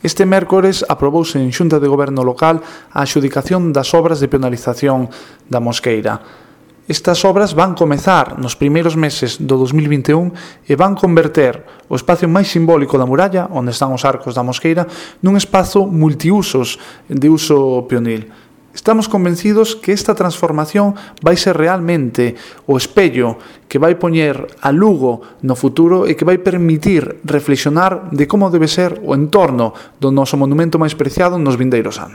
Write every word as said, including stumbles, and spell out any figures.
Este mércores aprobouse en Xunta de Goberno local a adxudicación das obras de penalización da Mosqueira. Estas obras van comezar nos primeiros meses do dos mil vinte e un e van converter o espacio máis simbólico da muralla, onde están os arcos da Mosqueira, nun espazo multiusos de uso peonil. Estamos convencidos que esta transformación vai ser realmente o espello que vai poñer a Lugo no futuro e que vai permitir reflexionar de como debe ser o entorno do noso monumento máis preciado nos vindeiros anos.